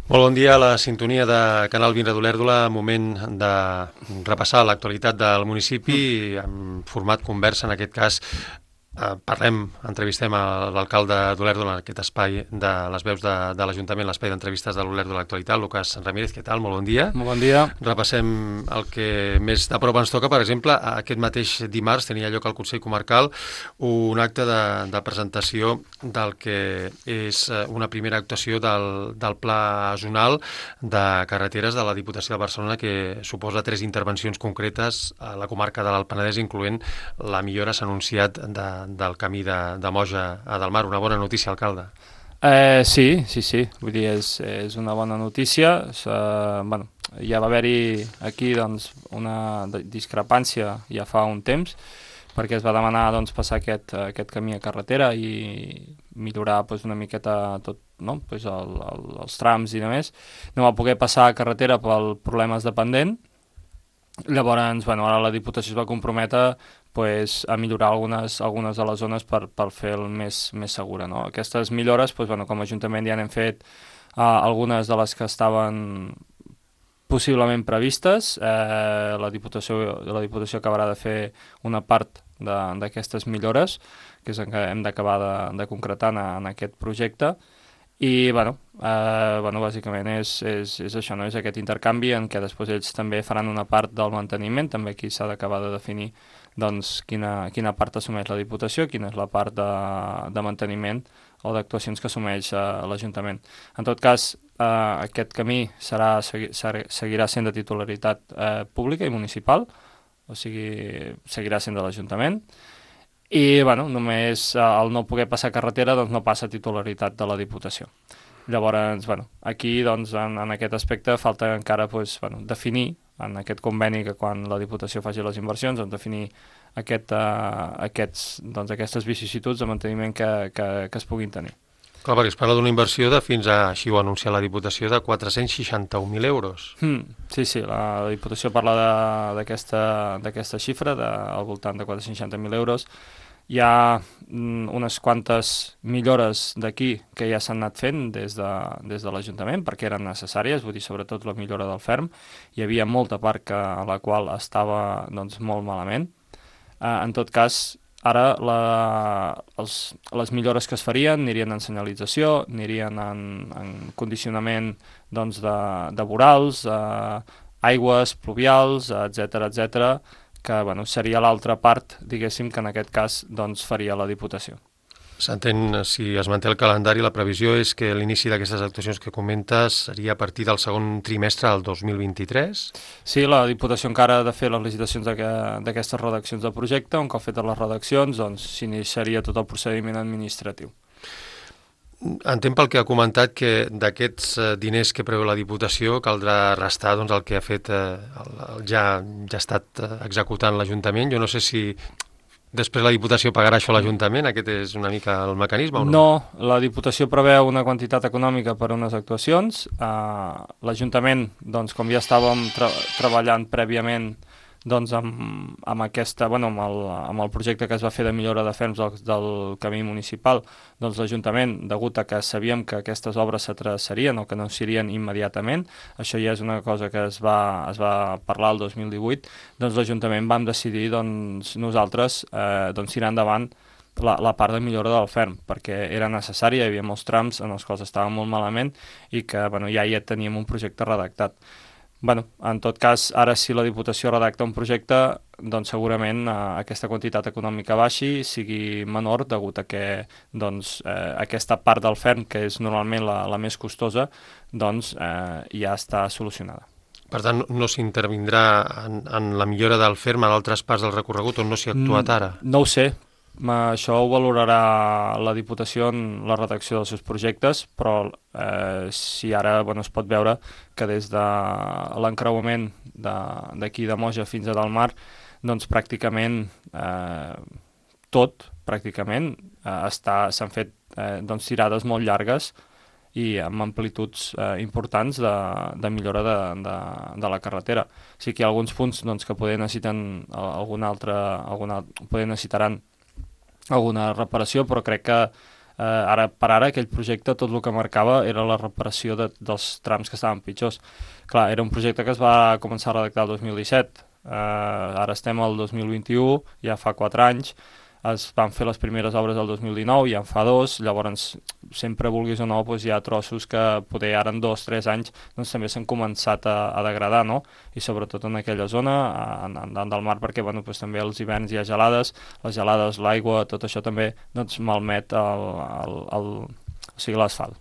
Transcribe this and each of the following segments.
Molt bon dia a la sintonia de Canal Vinre d'Olèrdola, moment de repassar l'actualitat del municipi en format conversa, en aquest cas entrevistem a l'alcalde d'Olèrdola en aquest espai de les veus de l'Ajuntament, l'espai d'entrevistes de l'Olèrdola Actualitat, Lucas Ramírez, què tal? Molt bon dia. Molt bon dia. Repassem el que més de prop ens toca. Per exemple, aquest mateix dimarts tenia lloc al Consell Comarcal un acte de presentació del que és una primera actuació del Pla Zonal de Carreteres de la Diputació de Barcelona, que suposa 3 intervencions concretes a la comarca de l'Alt Penedès, incloent la millora, s'ha anunciat, del camí de Moja a Delmar. Una bona notícia, alcalde. Sí. Vull dir, és una bona notícia. Ja va haver-hi aquí una discrepància ja fa un temps, perquè es va demanar passar aquest camí a carretera i millorar una miqueta tot, no? Els trams i demés. No va poder passar a carretera per problemes de pendent. Llavors, ara la Diputació es va comprometre a millorar algunes de les zones per fer-lo més segura, no? Aquestes millores, com a Ajuntament ja n'hem fet algunes de les que estaven possiblement previstes. La Diputació acabarà de fer una part d'aquestes millores, que és el que hem d'acabar de concretar en aquest projecte. I, bàsicament és això, no? És aquest intercanvi en què després ells també faran una part del manteniment. També aquí s'ha d'acabar de definir quina part assumeix la Diputació, quina és la part de manteniment o d'actuacions que assumeix l'Ajuntament. En tot cas, aquest camí seguirà sent de titularitat pública i municipal, o sigui, seguirà sent de l'Ajuntament. I només al no poder passar carretera no passa titularitat de la Diputació. Llavors, aquí en aquest aspecte falta encara definir en aquest conveni que quan la Diputació faci les inversions, definir aquestes vicissituds de manteniment que es puguin tenir. Clar, perquè es parla d'una inversió de fins a, així ho ha anunciat la Diputació, de 461.000 euros. Sí, la Diputació parla d'aquesta xifra, al voltant de 460.000 euros. Hi ha unes quantes millores d'aquí que ja s'han anat fent des de l'Ajuntament, perquè eren necessàries, vull dir, sobretot la millora del ferm. Hi havia molta part a la qual estava molt malament. En tot cas, ara les millores que es farien anirien en senyalització, anirien en condicionament de vorals, aigües pluvials, etc., que seria l'altra part, diguéssim, que en aquest cas faria la Diputació. S'entén, si es manté el calendari, la previsió és que l'inici d'aquestes actuacions que comentes seria a partir del segon trimestre del 2023? Sí, la Diputació encara ha de fer les licitacions d'aquestes redaccions de projecte. Un cop fetes les redaccions, s'iniciaria tot el procediment administratiu. Entenc pel que ha comentat que d'aquests diners que preveu la Diputació caldrà restar el que ha fet ja ha estat executant l'Ajuntament. Jo no sé si després la Diputació pagarà això a l'Ajuntament, aquest és una mica el mecanisme o no? No, la Diputació preveu una quantitat econòmica per a unes actuacions. L'Ajuntament, com ja estàvem treballant prèviament amb el projecte que es va fer de millora de ferms del camí municipal, l'Ajuntament, degut a que sabíem que aquestes obres s'atrasarien o que no serien immediatament, això ja és una cosa que es va parlar el 2018, l'Ajuntament vam decidir nosaltres tirar endavant la part de millora del ferm, perquè era necessària, hi havia molts trams en els quals estava molt malament i que ja teníem un projecte redactat. En tot cas, ara si la Diputació redacta un projecte, segurament aquesta quantitat econòmica baixi, sigui menor, degut a que aquesta part del ferm, que és normalment la més costosa, ja està solucionada. Per tant, no s'intervindrà en la millora del ferm a d'altres parts del recorregut on no s'hi ha actuat ara? No ho sé. Això ho valorarà la Diputació en la redacció dels seus projectes, però si ara es pot veure que des de l'encreuament d'aquí de Moja fins a Delmar, pràcticament s'han fet tirades molt llargues i amb amplituds importants de millora de la carretera. Sí que hi ha alguns punts que poder necessitaran alguna reparació, però crec que Ara per ara aquell projecte tot el que marcava era la reparació dels trams que estaven pitjors. Clar, era un projecte que es va començar a redactar el 2017, ara estem al 2021, ja fa 4 anys, es van fer les primeres obres del 2019, ja en fa 2, llavors sempre vulguis o no doncs hi ha trossos que poder ara en 2-3 anys doncs també s'han començat a degradar, no? I sobretot en aquella zona, en del mar, perquè bueno, doncs també als hiverns hi ha gelades, les gelades, l'aigua, tot això també doncs malmet l'asfalt.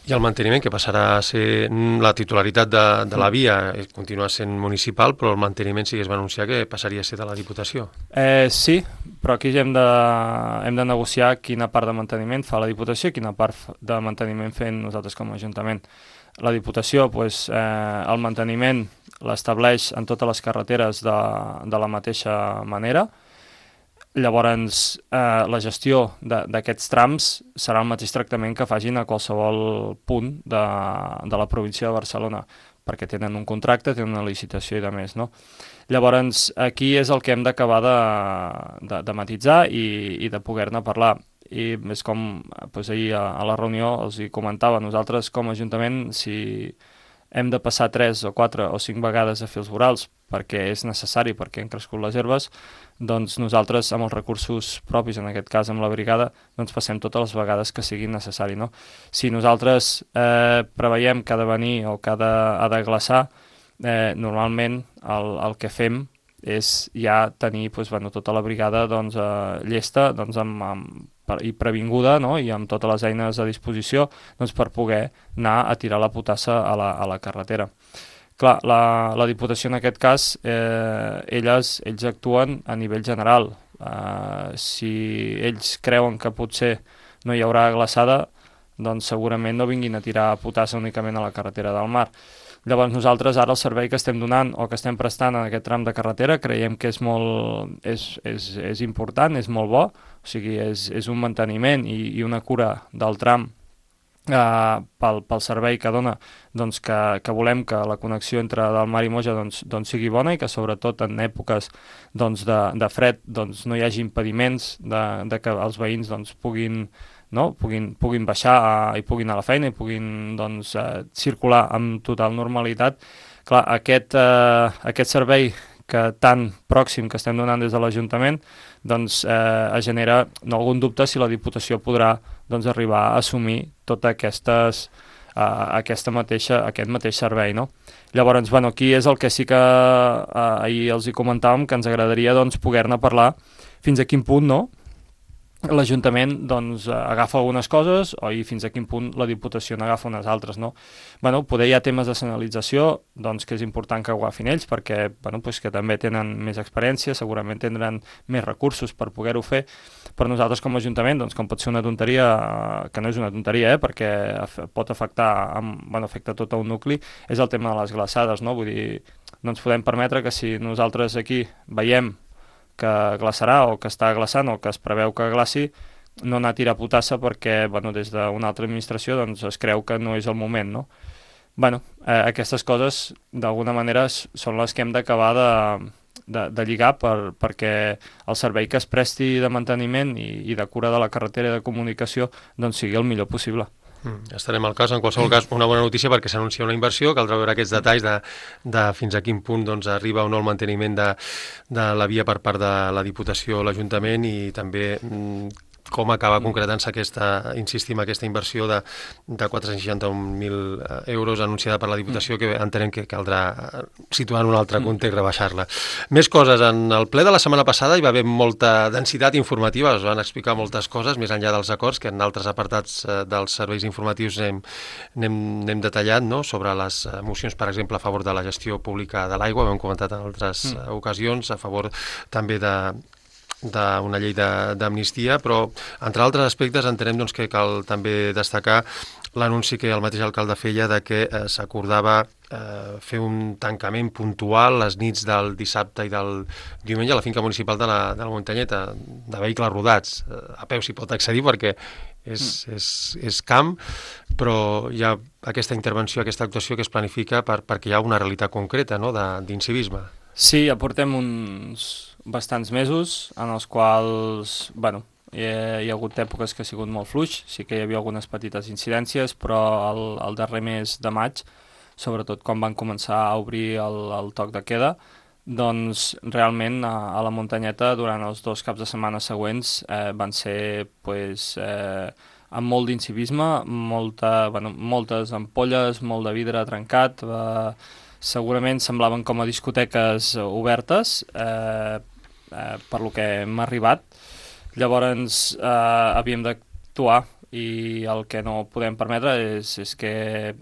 I el manteniment, que passarà a ser la titularitat de la via, continua sent municipal, però el manteniment sí que es va anunciar que passaria a ser de la Diputació. Sí, però aquí hem de negociar quina part de manteniment fa la Diputació i quina part de manteniment fem nosaltres com a Ajuntament. La Diputació, doncs, el manteniment l'estableix en totes les carreteres de la mateixa manera. Llavors, la gestió d'aquests trams serà el mateix tractament que facin a qualsevol punt de la província de Barcelona, perquè tenen un contracte, tenen una licitació i de més, no? Llavors, aquí és el que hem d'acabar de matisar i de poder-ne parlar. I és com doncs, ahir a la reunió els hi comentava, nosaltres com a Ajuntament, si hem de passar 3 o 4 o 5 vegades a fer els vorals perquè és necessari, perquè han crescut les herbes, doncs nosaltres amb els recursos propis, en aquest cas amb la brigada, doncs passem totes les vegades que sigui necessari, no? Si nosaltres preveiem que ha de venir o que ha de glaçar, normalment el que fem és ja tenir doncs, bueno, tota la brigada doncs, llesta doncs, i previnguda, no? I amb totes les eines a disposició doncs, per poder anar a tirar la potassa a la carretera. Clar, la Diputació en aquest cas, ells actuen a nivell general. Si ells creuen que potser no hi haurà glaçada, doncs segurament no vinguin a tirar potassa únicament a la carretera del mar. Llavors nosaltres ara el servei que estem donant o que estem prestant en aquest tram de carretera creiem que és important, és molt bo, o sigui, és un manteniment i una cura del tram pel servei que dona, doncs que volem que la connexió entre del mar i Moja doncs sigui bona i que sobretot en èpoques doncs, de fred doncs, no hi hagi impediments de que els veïns doncs, puguin baixar i puguin anar a la feina i puguin doncs, circular amb total normalitat. Clar, aquest servei que tan pròxim que estem donant des de l'Ajuntament doncs, es genera algun dubte si la Diputació podrà doncs, arribar a assumir tot aquest mateix servei. No? Llavors, bueno, aquí és el que sí que ahir els hi comentàvem, que ens agradaria doncs, poder-ne parlar fins a quin punt no? L'Ajuntament doncs, agafa algunes coses i fins a quin punt la Diputació n'agafa unes altres. No? Bueno, poder hi ha temes de senyalització doncs, que és important que ho agafin ells perquè bueno, doncs, que també tenen més experiència, segurament tindran més recursos per poder-ho fer, però nosaltres com a Ajuntament, doncs, com pot ser una tonteria, que no és una tonteria, perquè pot afectar, afecta tot un nucli, és el tema de les glaçades. No? Vull dir, no ens podem permetre que si nosaltres aquí veiem que glaçarà o que està glaçant o que es preveu que glaci, no anar a tirar potassa perquè des d'una altra administració doncs, es creu que no és el moment. No? Aquestes coses d'alguna manera són les que hem d'acabar de lligar perquè el servei que es presti de manteniment i de cura de la carretera i de comunicació doncs, sigui el millor possible. Estarem al cas, en qualsevol cas, una bona notícia perquè s'anuncia una inversió, caldrà veure aquests detalls de fins a quin punt doncs, arriba o no el manteniment de la via per part de la Diputació o l'Ajuntament i també com acaba concretant-se insistim, aquesta inversió de 461.000 euros anunciada per la Diputació, que entenem que caldrà situar en un altre context, rebaixar-la. Més coses. En el ple de la setmana passada hi va haver molta densitat informativa, es van explicar moltes coses, més enllà dels acords, que en altres apartats dels serveis informatius n'hem detallat, no? Sobre les mocions, per exemple, a favor de la gestió pública de l'aigua, ho hem comentat en altres ocasions, a favor també d'una llei d'amnistia, però entre altres aspectes entenem doncs, que cal també destacar l'anunci que el mateix alcalde feia de que s'acordava fer un tancament puntual les nits del dissabte i del diumenge a la finca municipal de la Muntanyeta, de vehicles rodats. A peu s'hi pot accedir perquè és camp, però hi ha aquesta intervenció, aquesta actuació que es planifica perquè hi ha una realitat concreta, no?, d'incivisme. Sí, ja portem uns bastants mesos en els quals, hi ha hagut èpoques que ha sigut molt fluix, sí que hi havia algunes petites incidències, però el darrer mes de maig, sobretot quan van començar a obrir el toc de queda, doncs realment a la muntanyeta durant els 2 caps de setmana següents van ser amb molt d'incivisme, moltes ampolles, molt de vidre trencat, segurament semblaven com a discoteques obertes, per lo que hem arribat. Llavors havíem d'actuar i el que no podem permetre és que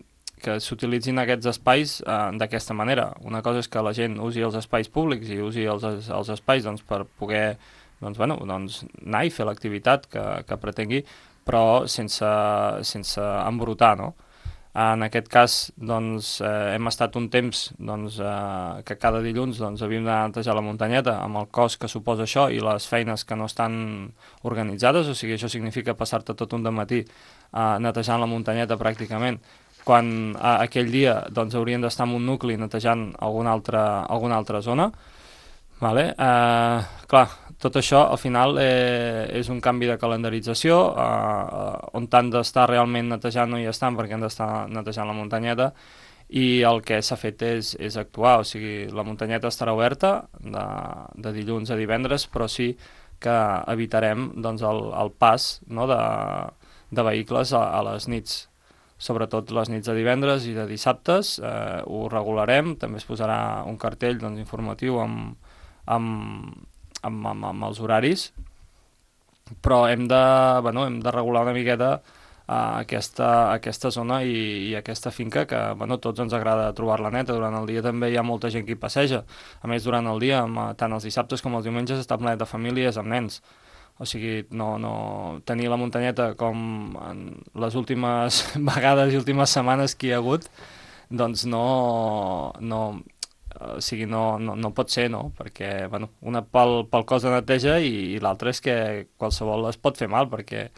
s'utilitzin aquests espais d'aquesta manera. Una cosa és que la gent usi els espais públics i usi els espais per poder anar i fer l'activitat que pretengui, però sense embrutar, no? En aquest cas hem estat un temps que cada dilluns havíem de netejar la muntanyeta amb el cost que suposa això i les feines que no estan organitzades, o sigui, això significa passar-te tot un dematí netejant la muntanyeta pràcticament, quan aquell dia haurien d'estar en un nucli netejant alguna altra zona. Vale? Clar, tot això al final és un canvi de calendarització, on han d'estar realment netejant no hi estan perquè han d'estar netejant la muntanyeta, i el que s'ha fet és actuar, o sigui, la muntanyeta estarà oberta de dilluns a divendres, però sí que evitarem el pas, no, de vehicles a les nits, sobretot les nits de divendres i de dissabtes. Ho regularem, també es posarà un cartell informatiu amb els horaris, però hem de regular una miqueta aquesta zona i aquesta finca que tots ens agrada trobar-la neta. Durant el dia també hi ha molta gent que hi passeja, a més durant el dia, tant els dissabtes com els diumenges, està ple de famílies amb nens. O sigui, no tenir la muntanyeta com en les últimes vegades i últimes setmanes que hi ha hagut, doncs no pot ser, no? Perquè, una pel cost de neteja i l'altra és que qualsevol es pot fer mal, perquè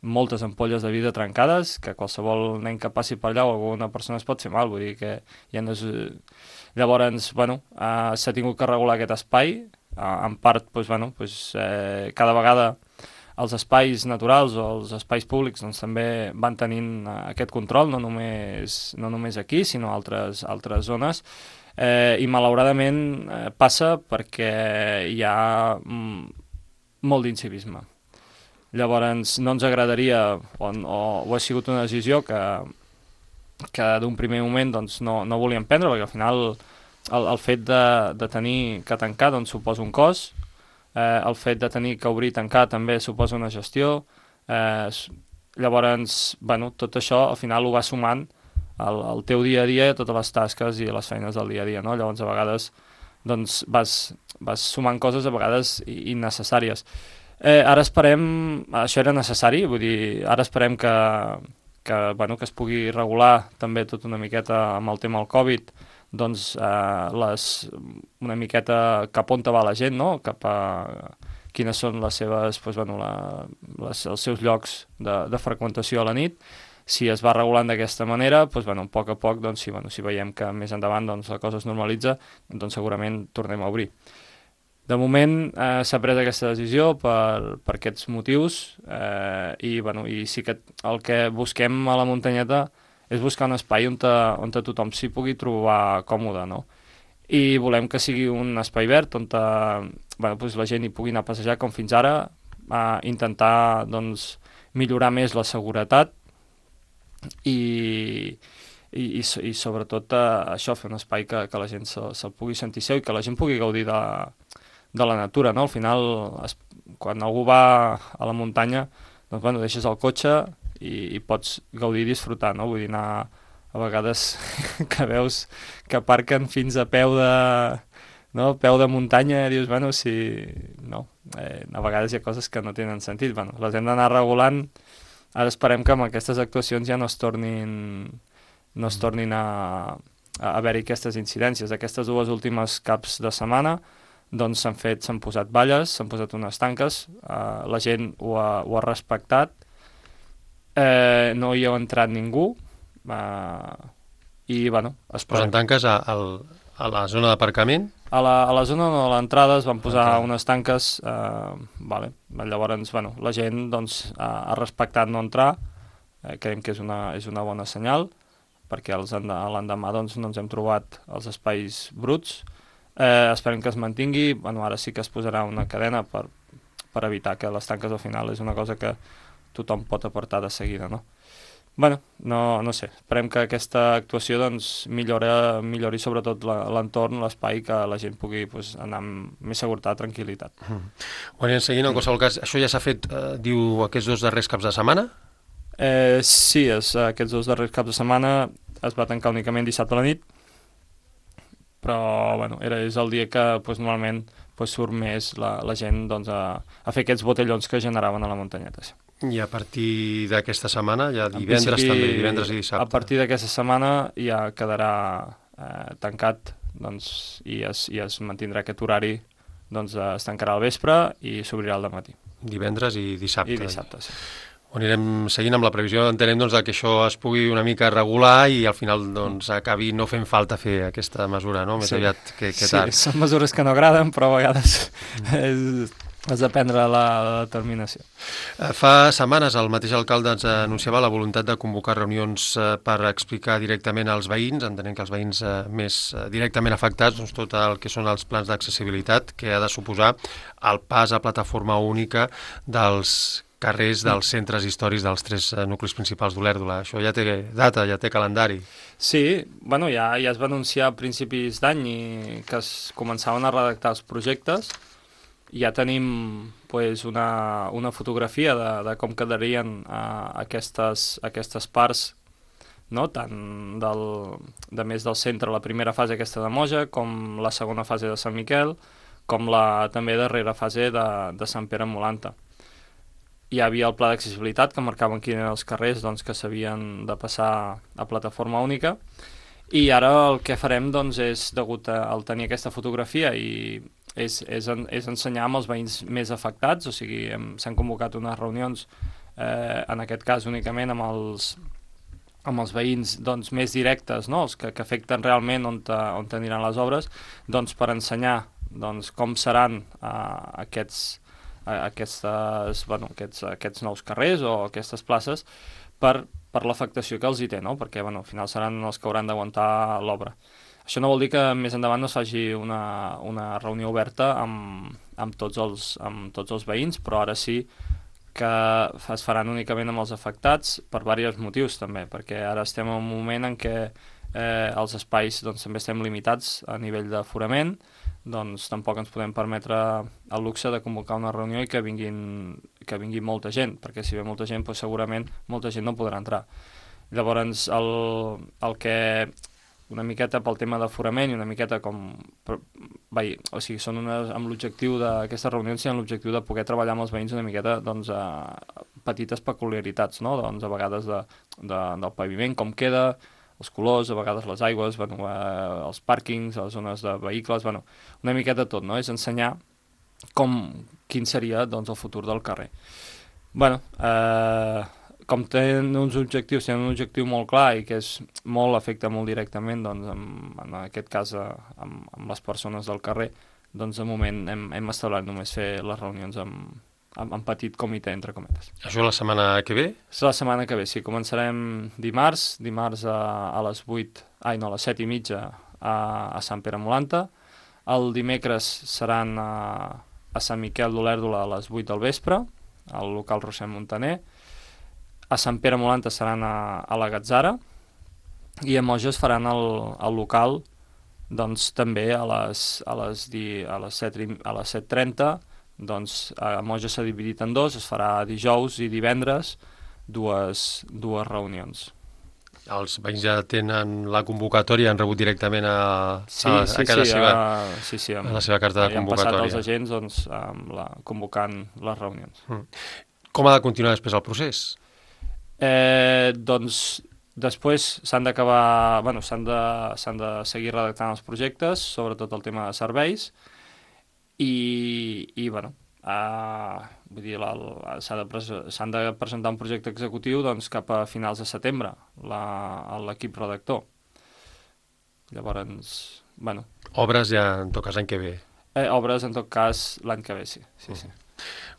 moltes ampolles de vidre trencades, que qualsevol nen que passi per allà o alguna persona es pot fer mal, vull dir que ja no és... Llavors, s'ha tingut que regular aquest espai, en part, cada vegada els espais naturals o els espais públics també van tenint aquest control, no només aquí, sinó a altres zones, i malauradament passa perquè hi ha molt d'incivisme. Llavors no ens agradaria, o ha sigut una decisió que d'un primer moment no volíem prendre, perquè al final el fet de tenir que tancar suposa un cost, el fet de tenir que obrir i tancar també suposa una gestió, llavors tot això al final ho va sumant el teu dia a dia, totes les tasques i les feines del dia a dia, no? Llavors a vegades vas sumant coses a vegades innecessàries. Ara esperem, això era necessari, vull dir, ara esperem que es pugui regular també tot una miqueta amb el tema del Covid, una miqueta cap on va la gent, no? Cap a quines són les seves, els seus llocs de freqüentació a la nit. Si es va regulant d'aquesta manera, a poc a poc, si veiem que més endavant la cosa es normalitza, segurament tornem a obrir. De moment s'ha pres aquesta decisió per aquests motius, i sí que el que busquem a la muntanyeta és buscar un espai on tothom s'hi pugui trobar còmode, no? I volem que sigui un espai verd on la gent hi pugui anar a passejar com fins ara, intentar millorar més la seguretat i sobretot això, fer un espai que la gent se'l pugui sentir seu i que la gent pugui gaudir de la natura, no? Al final, quan algú va a la muntanya, deixes el cotxe i pots gaudir i disfrutar, no? Vull dir, anar a vegades que veus que aparquen fins a peu de muntanya, i dius, a vegades hi ha coses que no tenen sentit, les hem d'anar regulant. Ara esperem que amb aquestes actuacions ja no es tornin a haver-hi aquestes incidències. Aquestes 2 últimes caps de setmana s'han posat valles, s'han posat unes tanques, la gent ho ha respectat, no hi ha entrat ningú, i es posen tanques a la zona d'aparcament? A la zona no, a l'entrada es van posar Entrada. unes tanques, vale. Llavors, bueno, la gent doncs, ha respectat no entrar, creiem que és una bona senyal, perquè l'endemà doncs, no ens hem trobat els espais bruts. Esperem que es mantingui, bueno, ara sí que es posarà una cadena per evitar que les tanques al final és una cosa que tothom pot apartar de seguida, no? Bueno, no sé, esperem que aquesta actuació doncs, millori sobretot l'entorn, l'espai, que la gent pugui pues, anar amb més seguretat, tranquil·litat. Ho anirem seguint, en qualsevol cas. Això ja s'ha fet, diu, aquests 2 darrers caps de setmana? Sí, aquests 2 darrers caps de setmana es va tancar únicament dissabte a la nit, però bueno, és el dia que pues, normalment pues, surt més la gent doncs, a fer aquests botellons que generaven a la muntanyeta. Sí. I a partir d'aquesta setmana, ja divendres també, divendres i dissabte. A partir d'aquesta setmana ja quedarà tancat doncs, i es mantindrà aquest horari, doncs es tancarà al vespre i s'obrirà al dematí. Divendres i dissabte. I dissabte, sí. Ho anirem seguint amb la previsió, entenem doncs, que això es pugui una mica regular i al final doncs, acabi no fent falta fer aquesta mesura, no? Més aviat que tard. Sí, són mesures que no agraden, però a vegades has de prendre la determinació. Fa setmanes el mateix alcalde ens anunciava la voluntat de convocar reunions per explicar directament als veïns, entenem que els veïns més directament afectats, doncs, tot el que són els plans d'accessibilitat que ha de suposar el pas a plataforma única dels carrers dels centres històrics dels 3 nuclis principals d'Olèrdola. Això ja té data, ja té calendari. Sí, bueno, ja es va anunciar a principis d'any que es començaven a redactar els projectes. Ja tenim pues, una fotografia de com quedarien aquestes parts, no? Tant de més del centre, la primera fase aquesta de Moja, com la segona fase de Sant Miquel, com la també darrera fase de Sant Pere Molanta. Hi havia el pla d'accessibilitat que marcaven quins eren els carrers doncs, que s'havien de passar a plataforma única, i ara el que farem doncs, és, degut al tenir aquesta fotografia, és ensenyar amb els veïns més afectats, o sigui, s'han convocat unes reunions, en aquest cas únicament amb els veïns doncs, més directes, no? Els que afecten realment on aniran les obres, doncs, per ensenyar doncs, com seran aquests nous carrers o aquestes places per l'afectació que els hi té, no? Perquè al final seran els que hauran d'aguantar l'obra. Això no vol dir que més endavant no es faci una reunió oberta amb tots els veïns, però ara sí que es faran únicament amb els afectats per diversos motius també, perquè ara estem en un moment en què els espais doncs, també estem limitats a nivell d'aforament, doncs tampoc ens podem permetre el luxe de convocar una reunió i que vingui molta gent, perquè si ve molta gent doncs segurament molta gent no podrà entrar. Llavors el que una miqueta pel tema d'aforament i una miqueta com... o sigui, són amb l'objectiu d'aquestes reunions amb l'objectiu de poder treballar amb els veïns una miqueta doncs, a petites peculiaritats, no? Doncs a vegades del paviment, com queda, els colors, a vegades les aigües, els pàrquings, les zones de vehicles, una miqueta tot, no? És ensenyar quin seria doncs, el futur del carrer. Com tenen uns objectius, tenen un objectiu molt clar i que afecta molt directament, doncs, en aquest cas, amb les persones del carrer, doncs de moment hem establert només fer les reunions en petit comitè, entre cometes. Això la setmana que ve? És la setmana que ve, sí. Començarem dimarts a les 7:30 a Sant Pere Molanta. El dimecres seran a Sant Miquel d'Olèrdola a les 8 del vespre, al local Roser Montaner. A Sant Pere Molanta seran a la Gatzara, i a Moja es faran al local doncs, també a les 7:30, doncs a Moja s'ha dividit en dos, es farà dijous i divendres dues reunions. Els veïns ja tenen la convocatòria, han rebut directament a la seva carta de convocatòria. Han passat els agents doncs, convocant les reunions. Com ha de continuar després el procés? Doncs després s'han d'acabar, s'han de seguir redactant els projectes, sobretot el tema de serveis, i vull dir, s'han de presentar un projecte executiu doncs, cap a finals de setembre, l'equip redactor. Llavors, bueno... Obres ja, en tot cas, l'any que ve. Obres, en tot cas, l'any que ve, sí.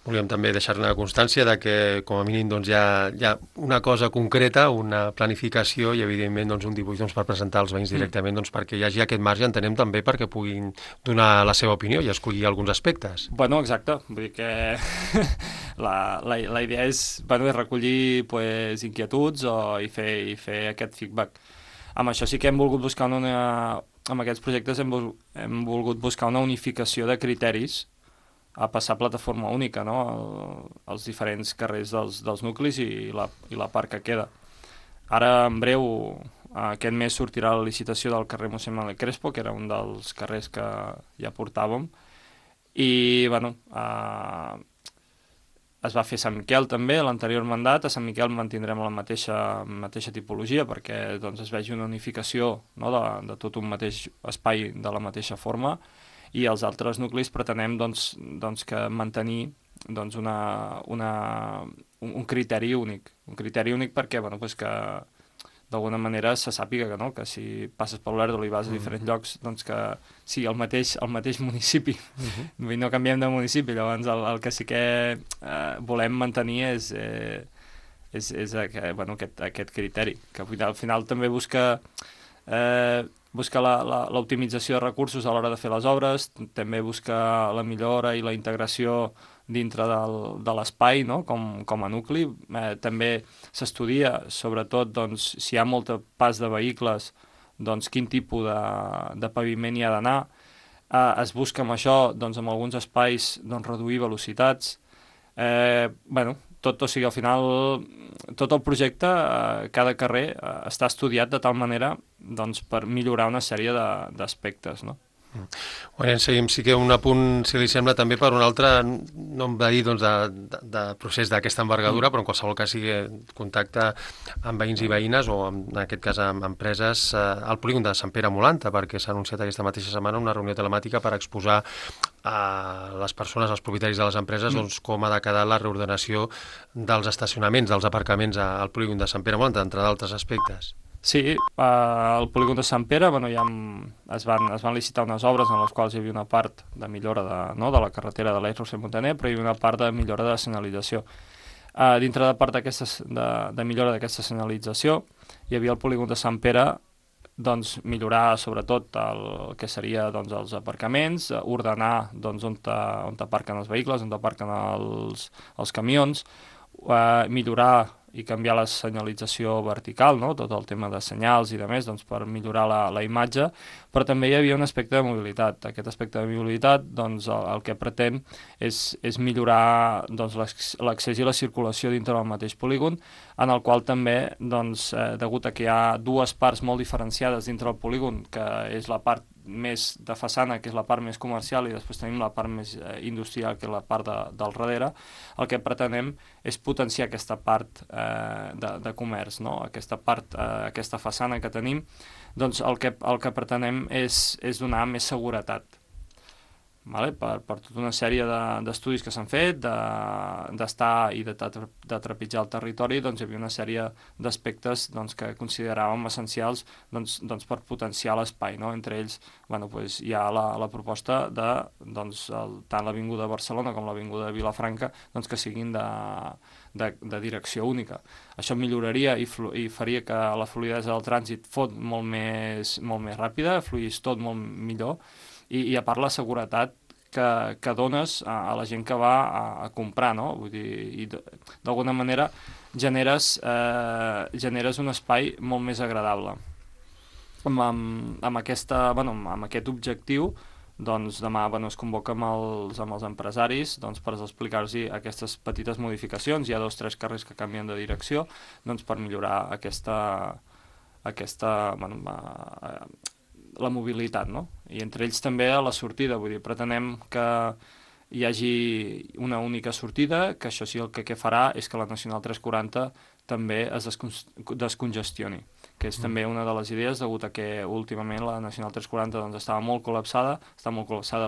Volíem també deixar-ne constància de que, com a mínim, doncs, hi ha una cosa concreta, una planificació i, evidentment, doncs, un dibuix per presentar als veïns directament, doncs, perquè hi hagi aquest marge, entenem també perquè puguin donar la seva opinió i escollir alguns aspectes. Bueno, exacte. Vull dir que la idea és recollir inquietuds i fer aquest feedback. Amb això sí que hem volgut buscar amb aquests projectes hem volgut buscar una unificació de criteris a passar a plataforma única, no? Els diferents carrers dels nuclis i la part que queda. Ara, en breu, aquest mes sortirà la licitació del carrer Mossèn Manuel Crespo, que era un dels carrers que ja portàvem, i, bueno, es va fer Sant Miquel també, l'anterior mandat. A Sant Miquel mantindrem la mateixa tipologia perquè doncs, es vegi una unificació, no? de tot un mateix espai de la mateixa forma, i els altres nuclis pretenem doncs, que mantenir doncs, un criteri únic. Un criteri únic perquè que d'alguna manera se sàpiga que si passes per l'Olèrdola i vas a diferents llocs, doncs que sí, el mateix municipi. No canviem de municipi, llavors el que sí que volem mantenir és aquest criteri, que al final també busca l'optimització de recursos a l'hora de fer les obres, també busca la millora i la integració dintre de l'espai, no? com a nucli. També s'estudia, sobretot, doncs, si hi ha molt pas de vehicles, doncs, quin tipus de paviment hi ha d'anar. Es busca amb això, doncs, en alguns espais, doncs, reduir velocitats. O sigui, al final, tot el projecte, cada carrer, està estudiat de tal manera doncs, per millorar una sèrie d'aspectes, no? Bueno, seguim, sí que un apunt, si li sembla, també per un altre, no em va dir doncs, de procés d'aquesta envergadura, però en qualsevol cas sigui contacte amb veïns i veïnes o en aquest cas amb empreses al polígon de Sant Pere Molanta, perquè s'ha anunciat aquesta mateixa setmana una reunió telemàtica per exposar a les persones, als propietaris de les empreses, doncs, com ha de quedar la reordenació dels estacionaments, dels aparcaments al polígon de Sant Pere Molanta, entre d'altres aspectes. Sí, al polígon de Sant Pere es van licitar unes obres en les quals hi havia una part de millora de la carretera de l'Eix Roser Montaner, però hi havia una part de millora de senyalització. Dintre de part de millora d'aquesta senyalització hi havia el polígon de Sant Pere, doncs, millorar sobretot el que seria doncs, els aparcaments, ordenar doncs, on aparquen els vehicles, on aparquen els camions, millorar i canviar la senyalització vertical, no? Tot el tema de senyals i de més, doncs, per millorar la imatge, però també hi havia un aspecte de mobilitat. Aquest aspecte de mobilitat, doncs, el que pretén és millorar doncs, l'accés i la circulació dintre del mateix polígon, en el qual també, doncs, degut a que hi ha dues parts molt diferenciades dintre del polígon, que és la part més de façana, que és la part més comercial, i després tenim la part més industrial, que és la part del darrere, el que pretenem és potenciar aquesta part de comerç, no? Aquesta part, aquesta façana que tenim, doncs el que pretenem és donar més seguretat. Vale? Per tota una sèrie d'estudis que s'han fet, d'estar i de trepitjar el territori, doncs hi havia una sèrie d'aspectes doncs, que consideràvem essencials doncs, per potenciar l'espai, no? Entre ells hi ha la proposta de tant l'Avinguda de Barcelona com l'Avinguda de Vilafranca doncs, que siguin de direcció única. Això milloraria i faria que la fluïdesa del trànsit fos molt més ràpida, fluís tot molt millor, i a part la seguretat que dones a la gent que va a comprar, no? Vull dir, i d'alguna manera generes un espai molt més agradable. Amb aquest objectiu, doncs demà es convoca amb els empresaris per explicar-los aquestes petites modificacions. Hi ha 2 o 3 carrers que canvien de direcció doncs, per millorar la mobilitat, no? I entre ells també a la sortida, vull dir, pretenem que hi hagi una única sortida, que això sí el que farà és que la Nacional 340 també es descongestioni, que és també una de les idees, degut a que últimament la Nacional 340 doncs, està molt col·lapsada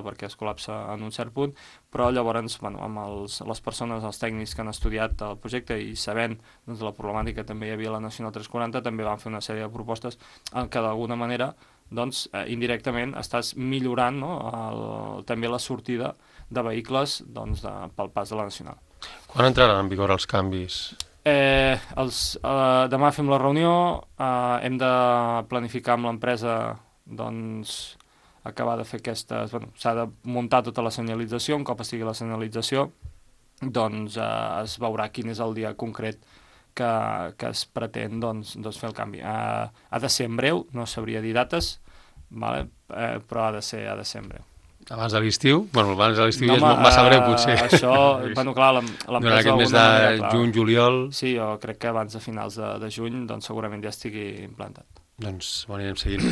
perquè es col·lapsa en un cert punt, però llavors amb les persones, els tècnics que han estudiat el projecte i sabent doncs, la problemàtica que també hi havia a la Nacional 340, també van fer una sèrie de propostes en què d'alguna manera doncs indirectament estàs millorant, no, també la sortida de vehicles doncs, pel pas de la Nacional. Quan entraran en vigor els canvis? Demà fem la reunió, hem de planificar amb l'empresa doncs, acabar de fer aquestes... Bueno, s'ha de muntar tota la senyalització, un cop estigui la senyalització, doncs es veurà quin és el dia concret que es pretén doncs, fer el canvi. Ha de ser en breu, no sabria dir dates, vale? Però ha de ser en breu. Abans de l'estiu? Bueno, abans de l'estiu ja és massa breu, potser. Això, bueno, clar, l'empresa... Durant aquest mes de juny, juliol... Sí, jo crec que abans de finals de juny doncs segurament ja estigui implantat. Doncs ho anirem seguint.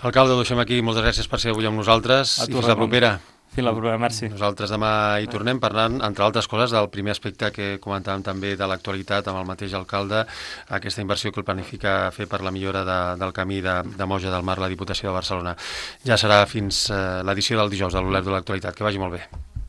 Alcalde, ho deixem aquí. Moltes gràcies per ser avui amb nosaltres. I fins la propera. Fins la propera, merci. Nosaltres demà hi tornem parlant, entre altres coses, del primer aspecte que comentàvem també de l'actualitat amb el mateix alcalde, aquesta inversió que el planifica fer per la millora del camí de Moja del Mar, la Diputació de Barcelona. Ja serà fins l'edició del dijous de l'Olert de l'Actualitat. Que vagi molt bé.